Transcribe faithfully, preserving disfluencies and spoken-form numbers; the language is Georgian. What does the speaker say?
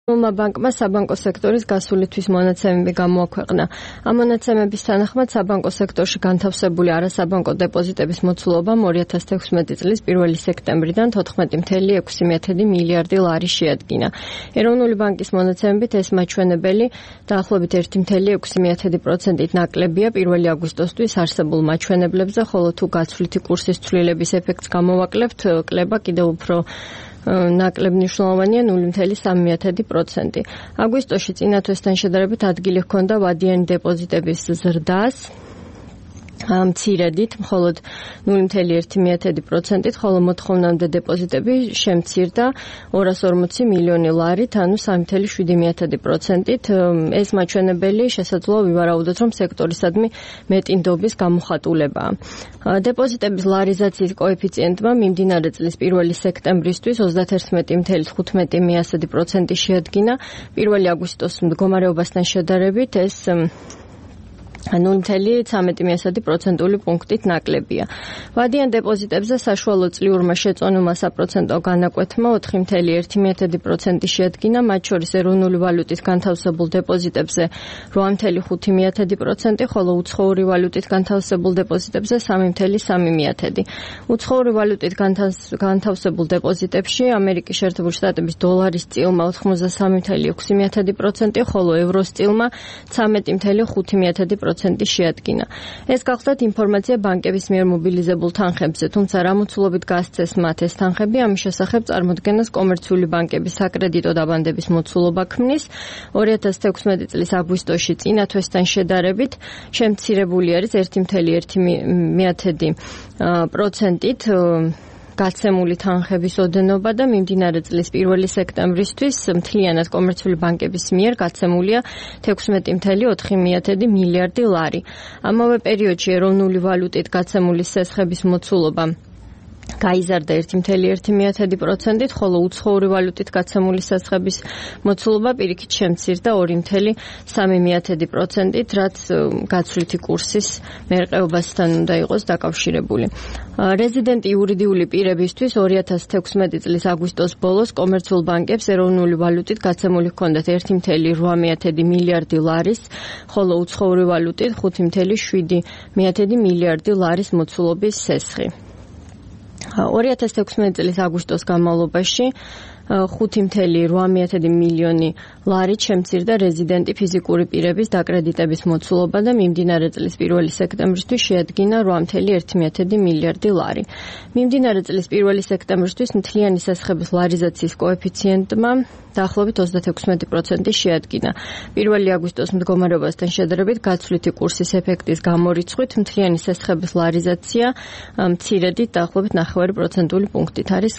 ბანკმა საბანკო სექტორის გასული თვის მონაცემები გამოაქვეყნა. ამ მონაცემების თანახმად საბანკო სექტორში განთავსებული არასაბანკო დეპოზიტების მოცულობამ ორი ათას თექვსმეტი წლის პირველი სექტემბრიდან თოთხმეტი კoma ექვსი მილიარდი ლარი შეადგინა. ეროვნული ბანკის მონაცემებით ეს მაჩვენებელი დაახლოებით ერთი კoma ექვსი პროცენტით ნაკლებია პირველი აგვისტოსთვის არსებულ მაჩვენებლებზე, ხოლო თუ გაცვლითი კურსის ცვლილების ეფექტს გამოვაკლებთ, კლება კიდევ უფრო ნაკლებ მნიშვნელოვანია ნული კoma სამი პროცენტი. აგვისტოში წინა თვესთან შედარებით ადგილი ჰქონდა ვადიანი დეპოზიტების ზრდას მცირედით, მხოლოდ ნული კoma ერთი პროცენტით, ხოლო მოთხოვნამდე დეპოზიტები შემცირდა ორას ორმოცი მილიონი ლარით, ანუ სამი კoma შვიდი პროცენტით. ეს მაჩვენებელი შესაძლოა ვივარაუდოთ, რომ სექტორისადმი მეტი ნდობის გამოხატულებაა. დეპოზიტების ლარიზაციის კოეფიციენტმა მიმდინარე წლის პირველი სექტემბრისთვის ოცდაათერთმეტი კoma თხუთმეტი პროცენტი შეადგინა. პირველი აგვისტოს მდგომარეობასთან შედარებით ეს ნული კoma ცხრამეტი პროცენტული პუნქტით ნაკლებია. ვადიან დეპოზიტებზე საშუალო წლიურმა შეწონილმა საპროცენტო განაკვეთმა ოთხი კoma ერთი პროცენტი შეადგინა, მათ შორის ეროვნული ვალუტით განთავსებულ დეპოზიტებზე რვა კoma ხუთი პროცენტი, ხოლო უცხოური ვალუტით განთავსებულ დეპოზიტებზე სამი კoma სამი პროცენტი. უცხოური ვალუტით განთავსებულ დეპოზიტებში ამერიკის შეერთებული შტატების დოლარის წილმა ოთხმოცდასამი კoma ექვსი პროცენტი, ხოლო ევროს წილმა ცხრამეტი კoma ხუთი პროცენტი შეადგინა. ეს გახლდათ ინფორმაცია ბანკების მიერ მობილიზებულ თანხებზე, თუმცა რა მოცულობით გასცეს მათ ეს თანხები, ამის შესახებ წარმოდგენას კომერციული ბანკების საკრედიტო დაბანდების მოცულობა ქმნის. ორი ათას თექვსმეტი წლის აგვისტოში წინა თვესთან შედარებით შემცირებული არის ერთი კoma ერთი პროცენტით გაცემული თანხების ოდენობა და მიმდინარე წლის პირველი სექტემბრისთვის მთლიანად კომერციული ბანკების მიერ გაცემულია თექვსმეტი კoma ოთხი მილიარდი ლარი. ამავე პერიოდში ეროვნული ვალუტით გაცემული სესხების მოცულობა გაიზარდა ერთი კoma ერთი პროცენტით, ხოლო უცხოური ვალუტით გაცემული სესხების მოცულობა პირიქით შემცირდა ორი კoma სამი პროცენტით, რაც გაცვლითი კურსის მერყეობასთან უნდა იყოს დაკავშირებული. რეზიდენტი იურიდიული პირებისთვის ორი ათას თექვსმეტი წლის აგვისტოს ბოლოს კომერციულ ბანკებს ეროვნული ვალუტით გაცემული ჰქონდათ ერთი კoma რვა მილიარდი ლარის, ხოლო უცხოური ვალუტით ხუთი კoma შვიდი მილიარდი ლარის მოცულობის სესხი. ორი ათას თექვსმეტი წლის აგვისტოს განმავლობაში ხუთი კoma რვა მილიონი ლარით შემცირდა რეზიდენტი ფიზიკური პირების დაკრედიტების მოცულობა და მიმდინარე წლის პირველი სექტემბრისთვის შეადგინა რვა კoma ერთი მილიარდი ლარი. მიმდინარე წლის პირველი სექტემბრისთვის მთლიანი სესხების ლარიზაციის კოეფიციენტმა დაახლოებით ოცდათექვსმეტი პროცენტი შეადგინა. პირველი აგვისტოს მდგომარეობასთან შედარებით გაცვლითი კურსის ეფექტის გამორიცხვით მთლიანი სესხების ლარიზაცია მცირედით დაახლოებით ნახევარი პროცენტული პუნქტით არის